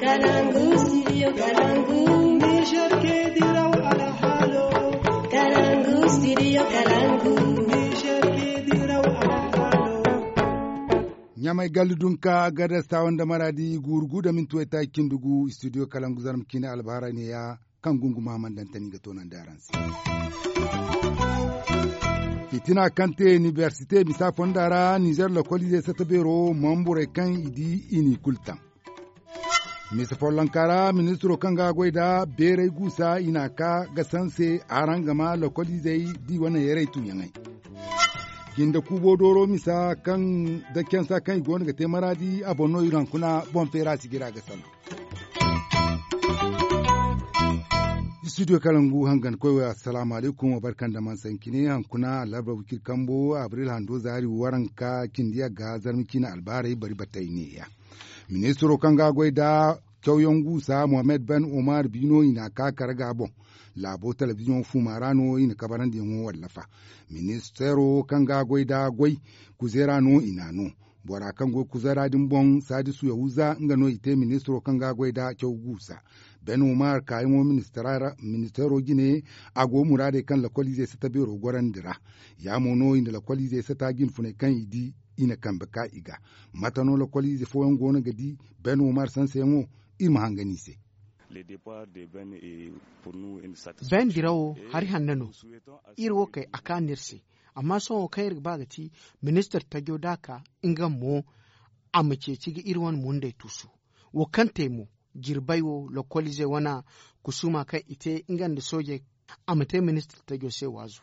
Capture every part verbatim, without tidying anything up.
Kalangu, studio Kalangu. Niger ke diraw alhalo. Kalangu, studio Kalangu. Niger ke diraw alhalo. Ɲamay gallu dunka, gadar sawan da maradi gurgu da minti wayta cindi gu, studio Kalangu, zarma cine albahara ne ya. Kaŋ gunguma man dantani ga toonandi araŋ se. Fitina kaŋ te inibersite misa fonda ra nizer lokoliizey sata beero, mamburey kaŋ i di i n'i kulu taŋ. Misa follonka ra ministiro kaŋ ga a goy nda beeray guusa i n'a ka ga sanse araŋ ga ma lokoliizey di wane yaray tuuyaŋey. Jinde kuubo dooro misa kaŋ da cansa kaŋ i go no ga te maraadi a boŋ no iri hankuna boŋ feera si jira ga salaŋ. Studio kalangu hangan koy wo assalamu alaikum wa barkan da man sankine hankuna alarba wikir kambo abril hando zaari waranka cindi yagga zarmi cine albaarey bari batay neeya. Ministiro kaŋ ga a goy nda cawyaŋ guusa mohammed ben umar biino i n'a ka kare ga boŋ. Laabo telebiziyoŋ fuuma ra no i na kabarandiyaŋo wallafa. Ministeero kaŋ ga a goy nda goy kuzeera no i n'a no. Bora kaŋ go kuzeera din boŋ saadisu yahuza nga no i te ministiro kaŋ ga a goy nda caw guusa. Ben umar kaayaŋo ministeero jine a go muraadey kaŋ lakoliizey sata beero gorandi ra. Ya mo no i na lakoliizey sata jinfuney kaŋ i di i na kambe ka i ga. Mate no lakoliize fooyaŋ go no ga di ben umar sanseyaŋo? Iri ma hangan i se. Ben dirawo hari hanno no. Iri wo kay a kaanu iri se. Amma sohõ kaŋ iri ga ba ga ti ministir tajo da a ka nga mo a ma ceeci ga iri wane mundey tuusu. Wo kaŋ te mo jirbey wo lokoliizey wane kusuma kaŋ i te nga nda soojey a ma te ministir tajo se waazu.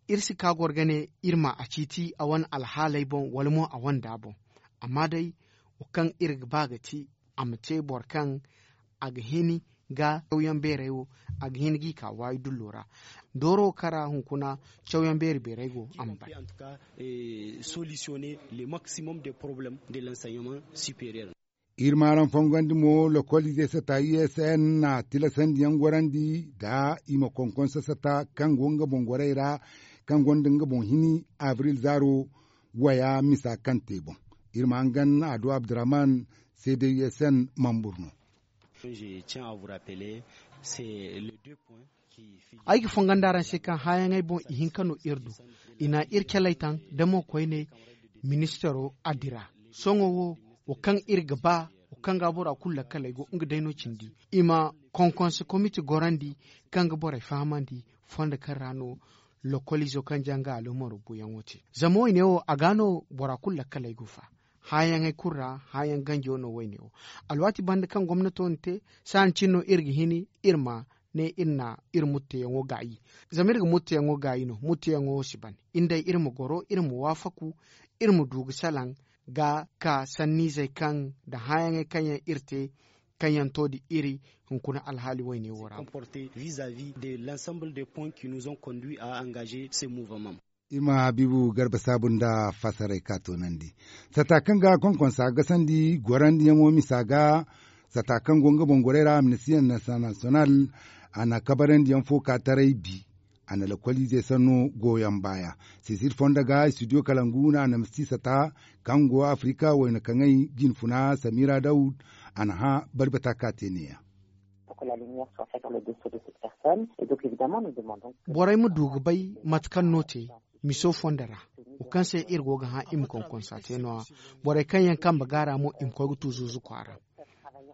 Iri si ka goro ga ne iri ma a ciiti a wane alhaaley boŋ wala mo a wane da boŋ. Amma day wo kaŋ iri ga ba ga ti a ma te boro kaŋ a ga hin ga cawyaŋ beerey wo a ga hin g'i ka waayi dullo ra. Dooro kara hunkuna cawyaŋ beeri beerey go a ma bay. Solutionner le maximum des problèmes de l'enseignement supérieur. Iri ma araŋ fongandi mo lokoliizey sata usn na tilasandiyaŋ gorandi nda i ma konkonso sata kaŋ go nga boŋ gorey ra kaŋ gonda nga boŋ hini abril zaaro waya misa kaŋ te boŋ. Iri ma hangan ado abdurrahman cdusn mambur no. Ay ga fongan da araŋ se kaŋ haayaŋey boŋ ihinka no iri du. I na iri caley taŋ da mo koyne ministero a dira. Sohõ wo wo kaŋ iri ga ba wo kaŋ ga bora kulu lakkaley go nga day no cindi i ma konkonse komite gorandi kaŋ ga borey fahamandi fondo kaŋ ra no lokoliizo kaŋ ja nga alomaro buyaŋo te. Zama woyne wo a ga no bora kulu lakkaley go fa. Haayaŋey kulu ra haayaŋ ganjo no woyne wo. Alwaati banda kaŋ gomnato na te saani cine no iri ga hini iri ma ne iri na iri mutteyaŋo gaayi. Zama iri ga mutteyaŋo gaayi no mutteyaŋo wo si ban. Iri day iri ma goro iri ma waafaku iri ma du ga salaŋ ga ka sanniizey kaŋ nda haayaŋey kaŋ yaŋ iri te kaŋ yaŋ to nda iri hunkuna alhaali woyne wo ra. Comporter vis-à-vis de l'ensemble des points qui nous ont conduits à engager ce mouvement. Iri ma habiibu garba saabu nda fasaray ka toonandi sata kaŋ ga konkonsa gasandi gorandiyaŋo misa ga. Sata kaŋ go nga boŋ gorey ra amnesty international a na kabarandiyaŋ fo ka taray bi. A na lakoliizey sanno goyaŋ baaya sisir fondo ga studio kalangu no a na misi sata kaŋ go afrika wayna kaŋay jinfuna samira dawud. A na hã barbata ka te neeya. Borey ma du ga bay mate kaŋ no te miso fondo ra wo kaŋ se iri go ga hã i ma konkonsa te no-ya. Borey kaŋ yaŋ kambe gaara mo i ma koy ga tu zuuzu kwaara.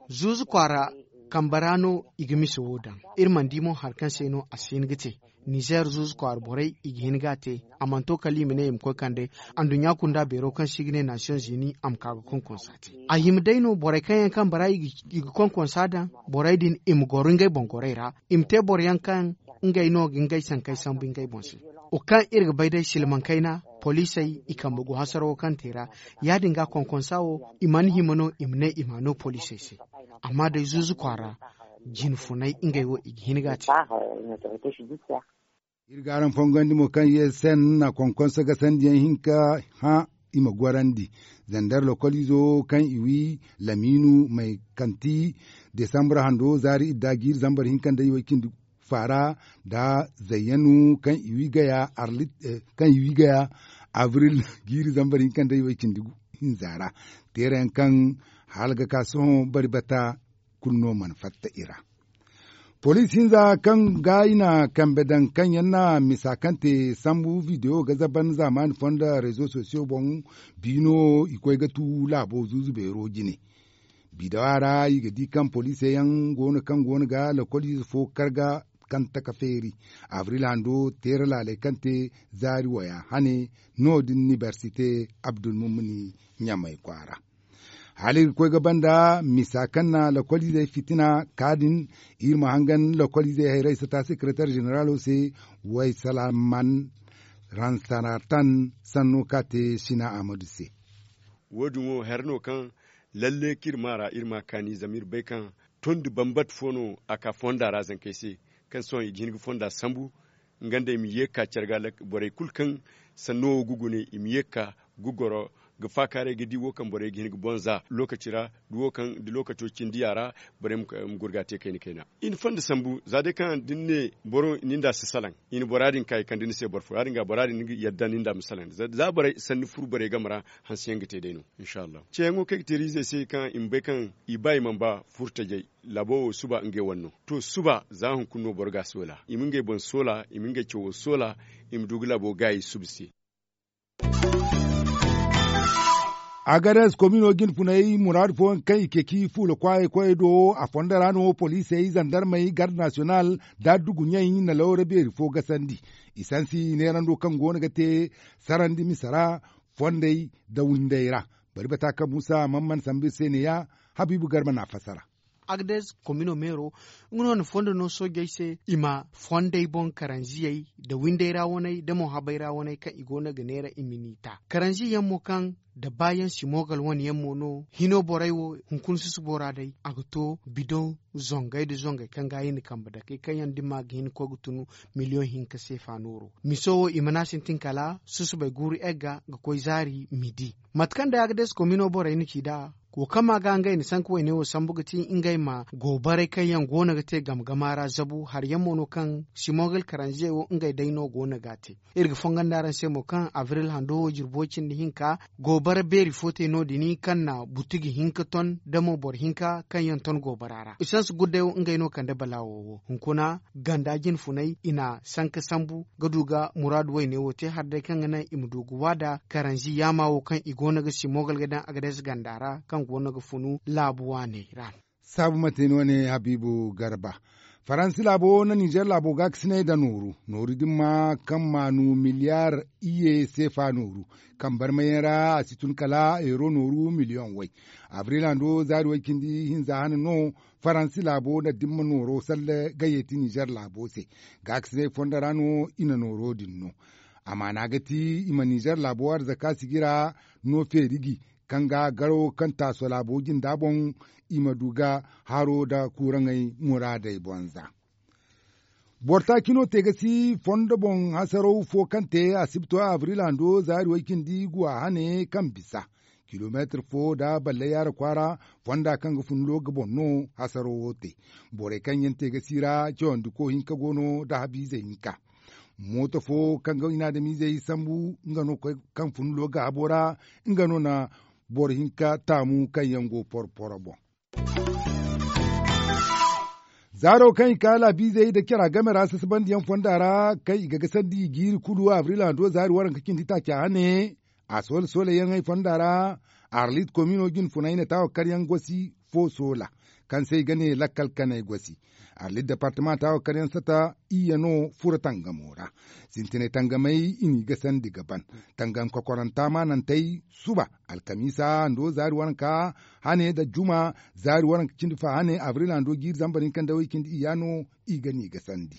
Zuuzu kwaara kambe ra no i ga miso wo daŋ. Iri mana di mo hari kaŋ se no a si hin ga te. Nizer zuuzu kwaara borey i ga hin ga a te. A mana to kala i ma ne i ma koy kande anduɲɲa kunda beero kaŋ se i ga ne nasiyoŋ zini a ma ka ga konkonsa te. A hima day no borey kaŋ yaŋ kambe ra i ga konkonsa daŋ borey din i ma goro ngey boŋ gorey ra. I ma te boro yaŋ kaŋ ngey no ga ngey sankey sambu ngey boŋ se. Wo kaŋ iri ga bay day silmaŋ kayna poliisey i kambe go hasarawo kaŋ te ra. Ya- din ga konkonsa wo i mana hima no i ma ne i ma a no poliisey se. Amma day zuuzu kwaara jinfunay ngey wo i ga hin ga a te. Iri ga araŋ fongandi mo kaŋ ye sen na konkonso ga sandiyaŋ hinka hã i ma gorandi. Zandar lokoliizo kaŋ i wi lamiinu may kanti desambur hando zaari idda jiiri zambar hinka nda iway cindi faara nda zayyanu kaŋ i wi gaya arlit kaŋ i wi gaya abril jiiri zambar hinka nda iway cindi hinza ra. Teerayaŋ kaŋ hala ga ka sohõ bari bata. kulu no mana fatta i ra. Poliisi hinza kaŋ ga i na kambe daŋ kaŋ yaŋ na misa kaŋ te sambu bidewo ga zaban zaamaani fondo rezo sosiyo boŋ biino i koy ga tu laabo zuuzu beero jine. Bidewa ra i ga di kaŋ poliisey yaŋ go no kaŋ go no ga lokoliize fo karga kaŋ taka feeri abril hando teera laaley kaŋ te zaari waya hane no- din inibersite abdulmumuni ɲamay kwaara. Hala iri ga koy ga banda misa kaŋ na lokoliizey fitina ka din iri ma hangan lokoliizey hayrey sata sekeretar zeneralo se way salaman ransaratan sanno ka te sina ahmadu se. Wo- din wo hari no kaŋ lalle kaŋ iri ma a ra iri ma a kaani zama iri bay kaŋ tondi bambata fo no a ka fonda ra zankey se kaŋ sohõ i ga hin ga fonda sambu. Nga nda i ma ye ga ka care ga borey kulu kaŋ sanno wo ga gune i ma ye ga ka ga goro ga faakaaray ga di wo kaŋ borey ga hin ga boŋ za lookaci ra da wo kaŋ da lookaco cindi a ra borey ma gurga te kayna kayna. I na fonda sambu za day kaŋ da ni ne boro ni nda a si salaŋ i na bora din ka i kande ni se boro fo ya- din ga bora din ni ga yadda ni nda a ma salaŋ za borey sanni furu borey game ra hanse yaŋ ga te day no. Ceeyaŋo kaŋ ay ga te riizey se kaŋ i ma bay kaŋ i ba i mana ba furtajey laabo wo suba ngey wane no. To suba za hunkuna no boro ga a soola i ma ngey boŋ soola i ma ngey cawo soola i ma du ga laabo gaayi suba se. Agades komino jinfunay muraadu fooyaŋ kaŋ i ceeci fuula kwaayey koyey do a fondo ra no poliisey zandarmey garde nasiyonal da adduguɲey na lawra beeri fo gasandi. Isansi neerando kaŋ go no ga te sarandi misa ra fondey nda windey ra. Bari bata kaŋ muusa man mana sambu iri se ne- ya habiibu garba na a fassara. Agdes komino meero nga no na fondo no soojey se i ma fondey boŋ karanziyey nda windey ra waney nda mo habey ra waney kaŋ i go no ga neera i ma ni ta karanzi yaŋ mo kaŋ nda baayaŋ si moogal wane yaŋ mo no hino borey wo hunkuna susubo ra day a ga to bidoŋ zongey nda zongey kaŋ ga a hin ga kambe dakey kaŋ yaŋ da ni ma ga hin ga koy ga tun miliyoŋ hinka seefa nooro miso wo i mana sintin kala susubey guuru egga ga koy zaari midi. Mate kaŋ day agades komino borey na ci nd'a wo kaŋ ma ga ngey na sanka wayne wo sambu ga ti ngey ma goobaray kaŋ yaŋ go no ga te game gama ra zabu hari yaŋ mo no kaŋ simogal karanziyey wo ngey day no go no ga a te. Iri ga fongon da araŋ se mo kaŋ abril hando wo jirbo cindi hinka goobara beeri fo te no- din kaŋ na butuji hinka ton nda mo boro hinka kaŋ yaŋ ton goobara ra isansi gudday wo ngey no kande balaawo wo hunkuna ganda jinfunay i na sanka sambu ga du ga muraadu wayne wo te hari day kaŋ ga naŋ i ma du ga waada karanzi yaama wo kaŋ i go no ga simogal ga daŋ agades ganda ra kaŋ go no ga funu laabu waaney ra. Saabu mate no ne habiibu garba faransi laabo na ninzeer laabo gaakasinay nda nooru nooru din ma kaŋ maanu miliyaar iyye seefa nooru kaŋ barmayaŋ ra a si tun kala euro nooru miliyoŋ way. Abril hando zaari way cindi hinza hane no faransi laabo na dimma nooro salle ga yeeti ninzeer laabo se. Gaakasinay fondo ra no i na nooro din no. Amaana ga ti i ma ninzeer laabo arzaka sigi ra no feeri gi kaŋ ga garo kaŋ taaso laabo jinda boŋ i ma du ga haro nda kuuraŋey muraadey boŋ za. Boro taaci no te ga si fondo boŋ hasaraw fo kaŋ te asibto abril hando zaari way cindi guwa hane kaŋ bisa kilomeetir fo nda balle yaara kwaara fonda kaŋ ga fun looga boŋ no. Hasaraw wo te borey kaŋ yaŋ te ga si ra cawandi ko hinka go no nda habiizey hinka. Mooto fo kaŋ ga i na adamiizey sambu nga no kaŋ fun looga habo ra nga no na boro hinka taamu kaŋ yaŋ go poro poro boŋ. Zaaro kaŋ i ka laabiizey nda cara game ra sasabandiyaŋ fonda ra kaŋ i ga gasandi i jiiri kulu abril hando zaari waranka cindi taaca hane. A soola soola yaŋey fonda ra arlit komino jinfunay na taawa karyaŋ gosi fo soola kaŋ se i ga ne lakkal kanay gosi. Arlit departema taawa karyaŋ sata iyye no furo tangamo ra. Sintinay tangamey i n'i gasandi ga ban tangam kokoranta maanantey suba alkamiisa hando zaari waranka hane nda juma zaari waranka cindi fa hane abril hando jiiri zambar hinka nda way cindi iyya no. I ga n'i gasandi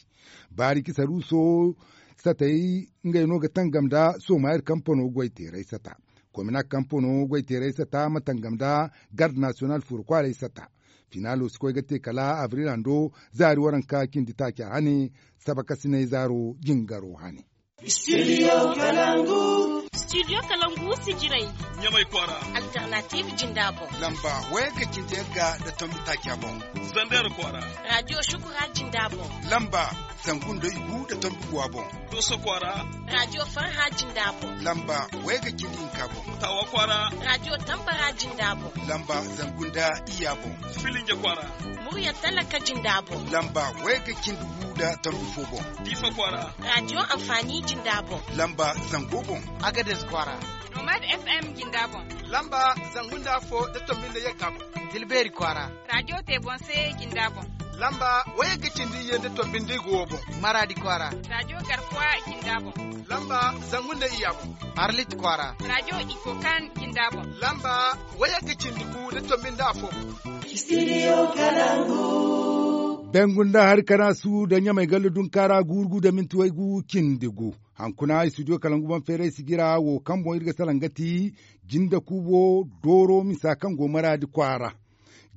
baari kisaruuso satey ngey no ga tangam nda somayir kampano goyteerey sata. Komina kampano goyteerey sata ma tangam nda garde nasiyonal furo kwaaray sata. Finaalo si koy ga te kala abril hando zaari waranka cindi taaca hane sabakasinay zaaro jingaro hane. Studio Kalangu. Studio kalangu sijirey. Ɲamay kwaara. Alternative jinda boŋ. Lamba wayagga cindi yagga nda tombi taaca boŋ. Zander kwaara. Radio shukura jinda boŋ. Lamba zangu nda igu nda tombi guwa boŋ. Dooso kwaara. Radio farha jinda boŋ. Lamba wayagga cindi hinka boŋ. Taawa kwaara. Radio tambara jinda boŋ. Lamba zangu nda iyya boŋ. Filinja kwaara. Murya talaka jinda boŋ. Lamba wayagga cindi gu nda tombi fo boŋ. Diifa kwaara. Radio amfani jinda boŋ. Lamba zango boŋ. Agades kwaara. Nomad FM jinda boŋ. Lamba zangu nda afo nda tombi nda yagga boŋ. Dilbeeri kwaara. Radio tebonse jinda boŋ. Lamba wayagga cindi iyye nda tombi nda igu wo boŋ. Maradi kwaara. Radio garkuwa jinda boŋ. Lamba zangu nda iyya boŋ. Arlit kwaara. Radio ikokan jinda boŋ. Lamba wayagga cindi gu nda tombi nda afo boŋ. Studio kalangu. Bengu nda hari kanaasu nda ɲamay galle dunkaara guuru gu nda minti waygu cindi gu. Hankuna studio kalangu boŋ feeray sijira wo kaŋ boŋ iri ga salaŋ ga ti jinda kuubo dooro misa kaŋ go maraadi kwaara.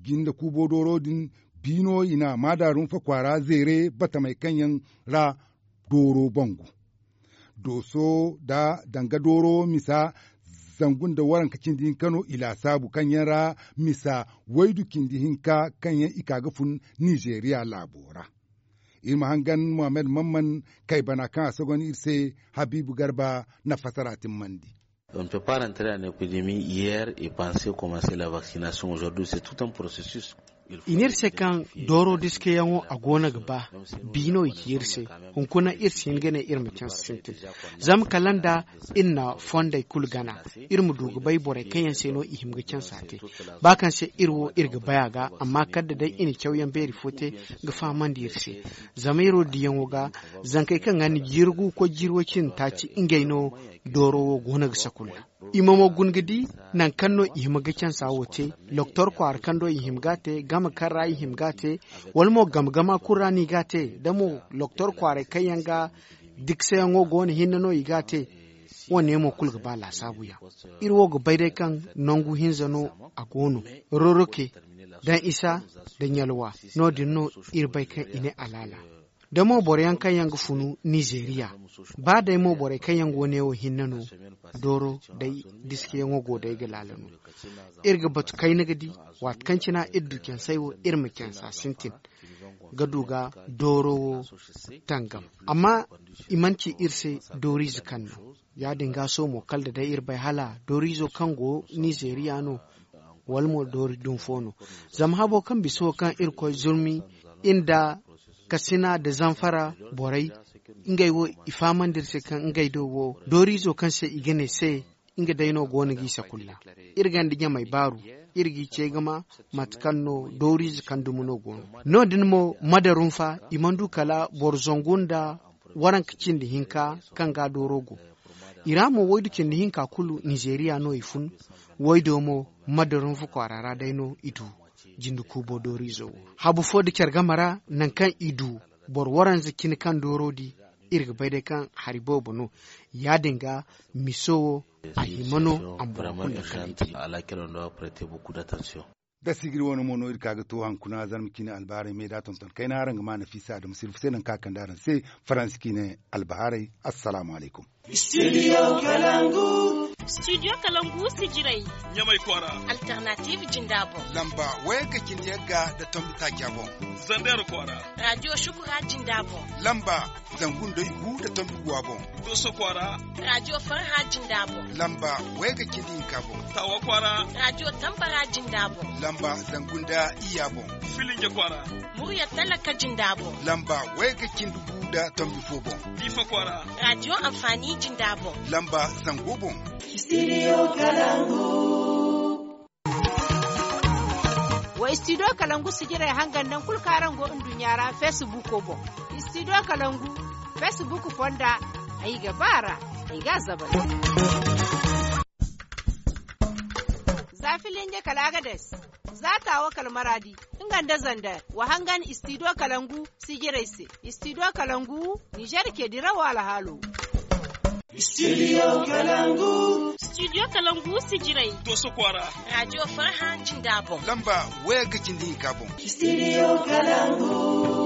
Jinda kuubo dooro din biino i na maadaarunfa kwaara zeere batamey kaŋ yaŋ ra dooro bangu. Dooso nda danga dooro misa zangu nda waranka cindi hinka no i laasaabu kaŋ yaŋ ra misa waydu cindi hinka kaŋ yaŋ i ka ga fun nizeeriya laabo ra. Iri ma hangan mohammed mamman kay bana kaŋ a sogon iri se habiibu garba na fasara timmandi. On ne peut pas rentrer en épidémie hier et penser commencer la vaccination aujourd'hui, c'est tout un processus. I ne iri se kaŋ dooro diskayaŋo a go no ga ba biino i ci iri se. Hunkuna iri si hin ga ne iri ma canse sintin zama kala nda iri na fondey kulu gana iri ma du ga bay borey kaŋ yaŋ se no i hima ga canse a te. Ba kaŋ se iri wo iri ga bay a ga amma kala da day i na cawyaŋ beeri fo te ga fahamandi iri se. Zama iri wo diyaŋo ga zankey kaŋ ga ni jiiri gu koy jiiri way cindi taaci ngey no dooro wo go no ga sakulla. I ma mo guna ga di nangu kaŋ no i hima ga cansa wo te. Loktor kwaara kaŋ do i hima ga a te game kaŋ ra i hima ga a te wala mo game gama kulu ra no i ga a te da mo loktor kwaaray kaŋ yaŋ ga diksayaŋo go no hinne no i ga a te. Wo- ne mo kulu ga ba laasaabu yaŋ. Iri wo ga bay day kaŋ nangu hinza no a go no roroke daŋ isa da ɲalwa. No- din no iri bay kaŋ i ne alaala da mo boro yaŋ kaŋ yaŋ ga funu nizeeriya ba day mo borey kaŋ yaŋ go ne wo hinne no dooro day diskayaŋo go day ga laala no. Iri ga batu kayna ga di waati kaŋ cina iri du cansey wo iri ma cansa sintin ga du ga dooro wo tangam. Amma i mana ci iri se dooriize kaŋ no ya- din ga sohõ mo kala da day iri bay hala dooriizo kaŋ go nizeeriya no wala mo doori dunfo no. Zama habo kaŋ bisa wo kaŋ iri koy zurmi nda kasina nda zamfara borey ngey wo i fahamandi iri se kaŋ ngey do wo dooriizo kaŋ se i ga ne se nga day no go no g'i sakulla. Iri gonda ɲamey baaru iri g'i ce ga ma mate kaŋ no dooriize kaŋ dumi no go no. No- din mo madarunfa i mana du kala boro zangu nda waranka cindi hinka kaŋ ga dooro go. I ra mo waydu cindi hinka kulu nizeeriya no i fun. Waydo mo madarunfa kwaara ra day no i du jinde kuubo dooriizo wo habu fo nda care game ra nangu kaŋ i du boro waranza cine kaŋ dooro di. Iri ga bay day kaŋ hari boobo no ya- din ga miso wo a hima no a ma boro kulu lakkal i te. Da sigiri wane mo no iri ka ga to hankuna zarma ciine albaarey me da tonton kayna araŋ ga ma nafiisa adama sirfu se nangu kaŋ a kande araŋ se faransi ciine albahaarey. Assalaamu alaykum. Studio kalangu. Studio kalangu sijirey. Ɲamay kwaara. Alternative jinda boŋ. Lamba wayagga cindi yagga nda tombi taaca boŋ. Zander kwaara. Radio shukura jinda boŋ. Lamba zangu nda igu nda tombi guwa boŋ. Dooso kwaara. Radio farha jinda boŋ. Lamba wayagga cindi hinka boŋ. Taawa kwaara. Radio tambara jinda boŋ. Lamba zangu nda iyya boŋ. Filinja kwaara. Murya talaka jinda boŋ. Lamba wayagga cindi gu nda tombi fo boŋ. Diifa kwaara. Radio amfani jinda boŋ. Lamba zango boŋ. Studio kalangu. Wa studio kalangu sijirey hangan nangu kulu kaŋ araŋ go nduɲɲa ra facebook boŋ. Studio kalangu facebook fonda ay ga ba ra ay ga a zabal. Za filinje kala agades za taawo kala maraadi nga nda zander wa hangan studio kalangu sijirey se. Studio kalangu nizer ke dirawo alhaalo. Studio kalangu. Studio kalangu sijirey. Dooso kwaara. Radio farha jinda boŋ. Lamba wayagga cindi hinka boŋ. Studio kalangu.